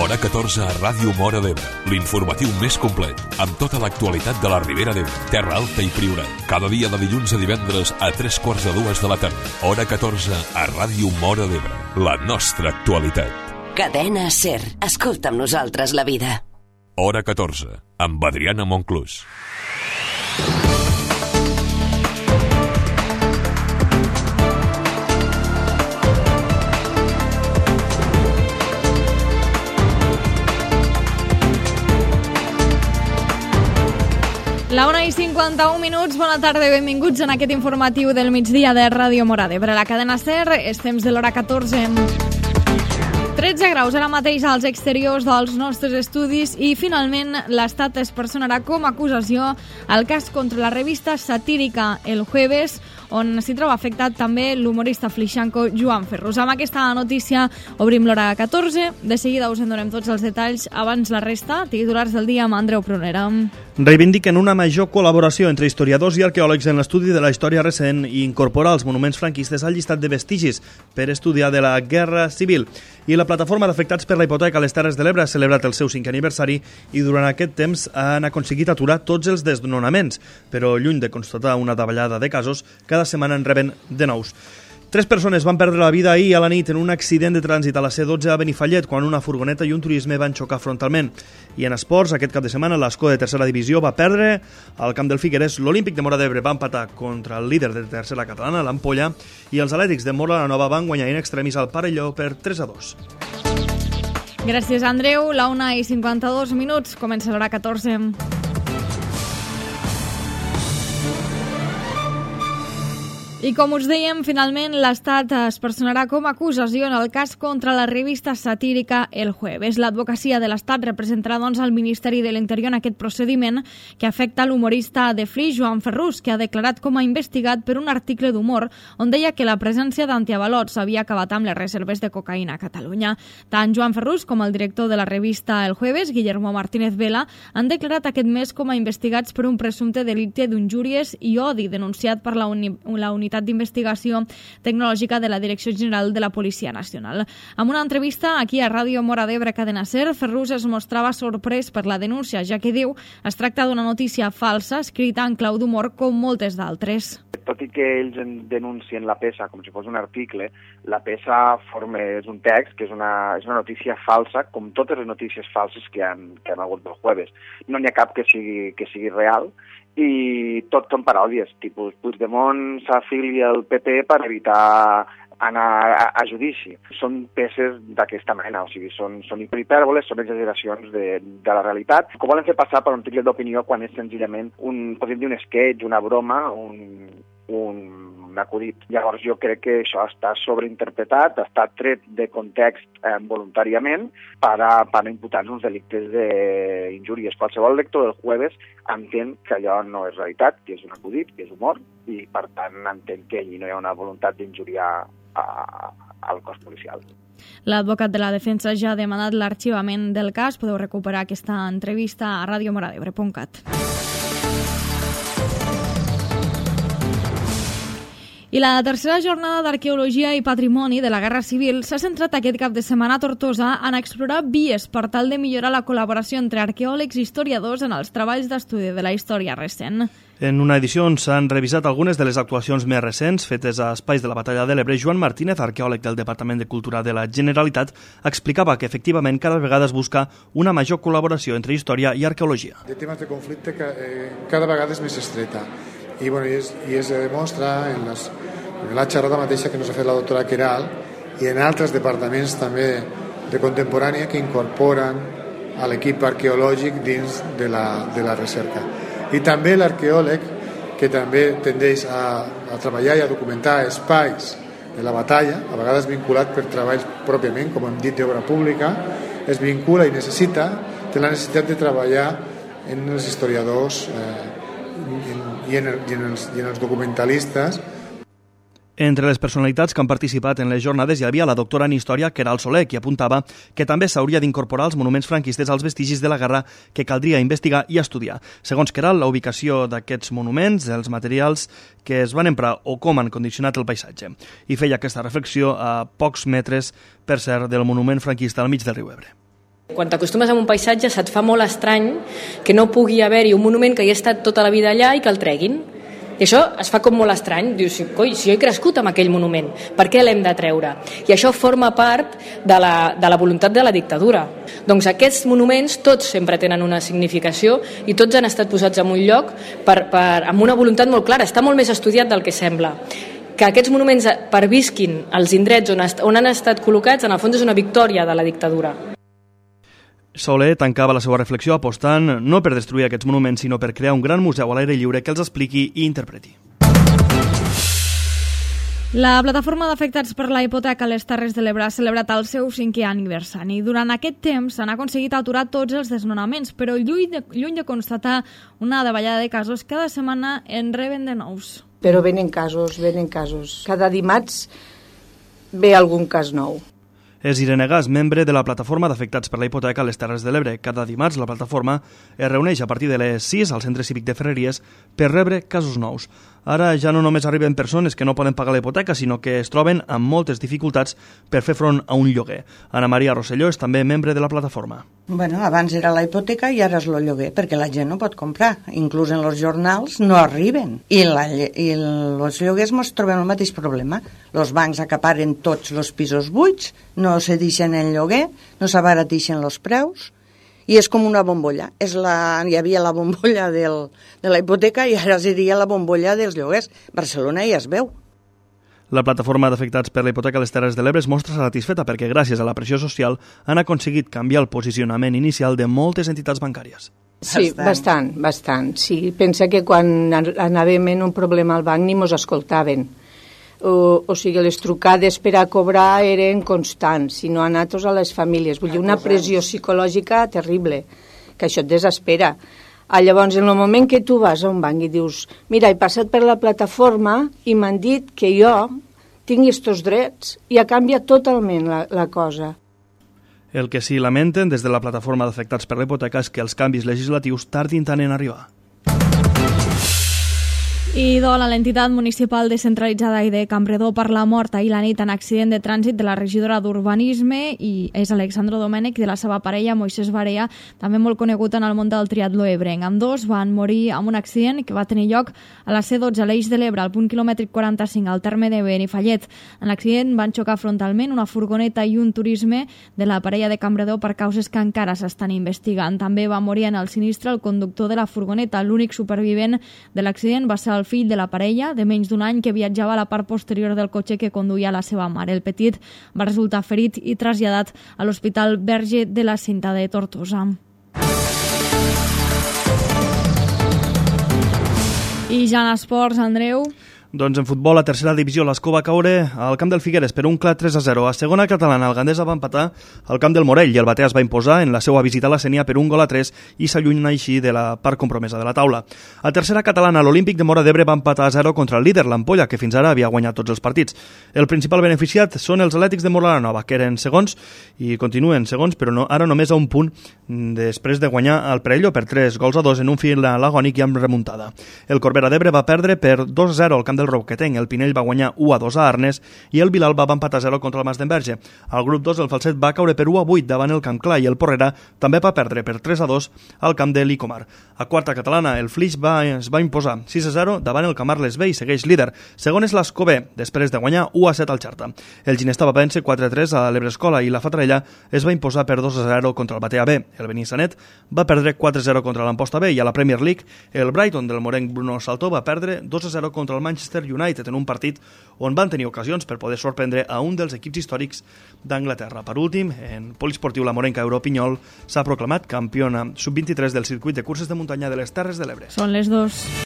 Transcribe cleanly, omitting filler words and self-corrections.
Hora 14 a Ràdio Móra d'Ebre, l'informatiu més complet, amb tota l'actualitat de la Ribera d'Ebre, Terra Alta i Priorat. Cada dia de dilluns a divendres a 3:45 de la tarda. Hora 14 a Ràdio Móra d'Ebre, la nostra actualitat. Cadena SER. Escolta amb nosaltres la vida. Hora 14, amb Adriana Monclús. La 1:51, bona tarda i benvinguts en aquest informatiu del migdia de Ràdio Móra d'Ebre. La cadena SER, és temps de l'hora 14. 13 graus ara mateix als exteriors dels nostres estudis i finalment l'Estat es personarà com a acusació al cas contra la revista satírica El Jueves, on s'hi troba afectat també l'humorista flixanco Joan Ferrús. Amb aquesta notícia obrim l'hora 14. De seguida us en donem tots els detalls. Abans la resta, titulars del dia amb Andreu Prunera. Reivindiquen una major col·laboració entre historiadors i arqueòlegs en l'estudi de la història recent i incorporar els monuments franquistes al llistat de vestigis per estudiar de la Guerra Civil. I la plataforma d'afectats per la hipoteca a les Terres de l'Ebre ha celebrat el seu 5è aniversari i durant aquest temps han aconseguit aturar tots els desnonaments, però lluny de constatar una davallada de casos, cada setmana en reben de nous. 3 persones van perdre la vida ahir a la nit en un accident de trànsit a la C12 a Benifallet quan una furgoneta i un turisme van xocar frontalment. I en esports, aquest cap de setmana, l'Escó de tercera divisió va perdre al camp del Figueres. L'Olímpic de Móra d'Ebre va empatar contra el líder de tercera catalana, l'Ampolla, i els Atlètics de Móra la Nova van guanyar in extremis al Parelló per 3-2. Gràcies, Andreu. La 1:52, comença l'hora 14. I com us dèiem, finalment l'Estat es personarà com a acusació en el cas contra la revista satírica El Jueves. L'advocacia de l'Estat representarà doncs al Ministeri de l'Interior en aquest procediment que afecta l'humorista de Flix, Joan Ferrús, que ha declarat com a investigat per un article d'humor on deia que la presència d'antiavalots havia acabat amb les reserves de cocaïna a Catalunya. Tant Joan Ferrús com el director de la revista El Jueves, Guillermo Martínez Vela, han declarat aquest mes com a investigats per un presumpte delicte d'injúries i odi denunciat per la unitat d'investigació tecnològica de la Direcció General de la Policia Nacional. En una entrevista aquí a Ràdio Móra d'Ebre Cadena SER, Ferrús es mostrava sorprès per la denúncia, ja que diu es tracta d'una notícia falsa escrita en clau d'humor com moltes d'altres. Tot i que ells denuncien la peça com si fos un article, la peça és un text que és una notícia falsa, com totes les notícies falses que han hagut del Jueves. No n'hi ha cap que sigui real, i tot són paròdies, tipus Puigdemont s'afilia al PP per evitar anar a judici. Són peces d'aquesta mena, o sigui, són hipèrbole, són exageracions de la realitat, que volen fer passar per un article d'opinió quan és senzillament podríem dir un sketch, una broma, un acudit. Llavors jo crec que això està sobreinterpretat, està tret de context voluntàriament per a imputar-nos uns delictes d'injúries. Qualsevol lector del Jueves entén que allò no és realitat, que és un acudit, que és humor, i per tant entén que allí no hi ha una voluntat d'injuriar al cos policial. L'advocat de la defensa ja ha demanat l'arxivament del cas. Podeu recuperar aquesta entrevista a radiomoradebre.cat. I la tercera jornada d'Arqueologia i Patrimoni de la Guerra Civil s'ha centrat aquest cap de setmana a Tortosa en explorar vies per tal de millorar la col·laboració entre arqueòlegs i historiadors en els treballs d'estudi de la història recent. En una edició on s'han revisat algunes de les actuacions més recents fetes a espais de la Batalla de l'Ebre, Joan Martínez, arqueòleg del Departament de Cultura de la Generalitat, explicava que efectivament cada vegada es busca una major col·laboració entre història i arqueologia. De temes de conflicte cada vegada és més estreta i es demostra en la xerrada mateixa que ens ha fet la doctora Queralt i en altres departaments també de contemporània que incorporen a l'equip arqueològic dins de la recerca. I també l'arqueòleg, que també tendeix a treballar i a documentar espais de la batalla, a vegades vinculat per treballs pròpiament, com hem dit, d'obra pública, es vincula i té la necessitat de treballar en els historiadors i en els documentalistes. Entre les personalitats que han participat en les jornades hi havia la doctora en Història Queralt Soler, qui apuntava que també s'hauria d'incorporar els monuments franquistes als vestigis de la guerra que caldria investigar i estudiar. Segons Queralt, la ubicació d'aquests monuments, els materials que es van emprar o com han condicionat el paisatge. I feia aquesta reflexió a pocs metres, per cert, del monument franquista al mig del riu Ebre. Quan t'acostumes a un paisatge se't fa molt estrany que no pugui haver-hi un monument que hi ha estat tota la vida allà i que el treguin. I això es fa com molt estrany. Dius, coi, si jo he crescut amb aquell monument, per què l'hem de treure? I això forma part de la voluntat de la dictadura. Doncs aquests monuments tots sempre tenen una significació i tots han estat posats en un lloc amb una voluntat molt clara. Està molt més estudiat del que sembla. Que aquests monuments pervisquin als indrets on han estat col·locats, en el fons és una victòria de la dictadura. Soler tancava la seva reflexió apostant no per destruir aquests monuments, sinó per crear un gran museu a l'aire lliure que els expliqui i interpreti. La plataforma d'afectats per la hipoteca a les Terres de l'Ebre ha celebrat el seu 5è aniversari. Durant aquest temps s'han aconseguit aturar tots els desnonaments, però lluny de constatar una davallada de casos, cada setmana en reben de nous. Però venen casos. Cada dimarts ve algun cas nou. És Irene Gas, membre de la plataforma d'afectats per la hipoteca a les Terres de l'Ebre. Cada dimarts la plataforma es reuneix a partir de les 6 al Centre Cívic de Ferreries per rebre casos nous. Ara ja no només arriben persones que no poden pagar la hipoteca, sinó que es troben amb moltes dificultats per fer front a un lloguer. Ana Maria Rosselló és també membre de la plataforma. Bueno, abans era la hipoteca i ara és el lloguer, perquè la gent no pot comprar. Inclús en els jornals no arriben. I els lloguers ens trobem el mateix problema. Els bancs acaparen tots els pisos buits, no se deixen el lloguer, no s'abaratixen els preus, i és com una bombolla. Hi havia la bombolla de la hipoteca i ara seria la bombolla dels lloguers. Barcelona ja es veu. La plataforma d'afectats per la hipoteca a les Terres de l'Ebre es mostra satisfeta perquè gràcies a la pressió social han aconseguit canviar el posicionament inicial de moltes entitats bancàries. Sí, bastant. Sí, pensa que quan anàvem en un problema al banc ni mos escoltaven. O sigui, les trucades per a cobrar eren constants, si no a nosaltres a les famílies. Vull dir, una pressió psicològica terrible, que això et desespera. Llavors, en el moment que tu vas a un banc i dius, mira, he passat per la plataforma i m'han dit que jo tingui estos drets, i ha canviat totalment la cosa. El que sí lamenten des de la plataforma d'afectats per la hipoteca és que els canvis legislatius tardin tant en arribar. I dol a l'entitat municipal descentralitzada i de Campredó per la mort ahir la nit en accident de trànsit de la regidora d'Urbanisme i és Alexandro Domènech de la seva parella Moisés Barea, també molt conegut en el món del triatló ebrenc. Ambdós van morir en un accident que va tenir lloc a la C12 a l'Eix de l'Ebre, al punt quilòmetric 45 al terme de Benifallet. En l'accident van xocar frontalment una furgoneta i un turisme de la parella de Campredó per causes que encara s'estan investigant. També va morir en el sinistre el conductor de la furgoneta. L'únic supervivent de l'accident va ser el fill de la parella, de menys d'un any, que viatjava a la part posterior del cotxe que conduïa la seva mare. El petit va resultar ferit i traslladat a l'Hospital Verge de la Cinta de Tortosa. I ja en esports, Andreu. Doncs en futbol, a tercera divisió, l'Escó va caure al camp del Figueres per un clar 3-0. A segona catalana, el Gandesa va empatar al camp del Morell i el Batea es va imposar en la seva visita a la Sénia per un 1-3 i s'allunya així de la part compromesa de la taula. A tercera catalana, l'Olímpic de Móra d'Ebre va empatar a 0 contra el líder, l'Ampolla, que fins ara havia guanyat tots els partits. El principal beneficiat són els Atlètics de Móra la Nova, que eren segons i continuen segons, però ara només a un punt després de guanyar el Perelló per 3-2 en un final agònic i amb remuntada. El Corbera d'Ebre va perdre per 2-0 al camp del Roquetenc, el Pinell va guanyar 1-2 a Arnes i el Vilalba va empatar 0 contra el Mas d'Enverge. Al grup 2 el Falset va caure per 1-8 davant el Camp Clar i el Porrera també va perdre per 3-2 al camp de l'Icomar. A quarta catalana el Flix es va imposar 6-0 davant el Camarles B i segueix líder. Segon és l'Escobé, després de guanyar 1-7 al Xarta. El Ginesta va vèncer 4-3 a l'Ebrescola i la Fatarella es va imposar per 2-0 contra el Batea B. El Benissanet va perdre 4-0 contra l'Amposta B i a la Premier League el Brighton del morenc Bruno Saltó va perdre 2-0 contra el Manchester United en un partit on van tenir ocasions per poder sorprendre a un dels equips històrics d'Anglaterra. Per últim, en poliesportiu la morenca Europinyol s'ha proclamat campiona sub-23 del circuit de curses de muntanya de les Terres de l'Ebre. Són les 2.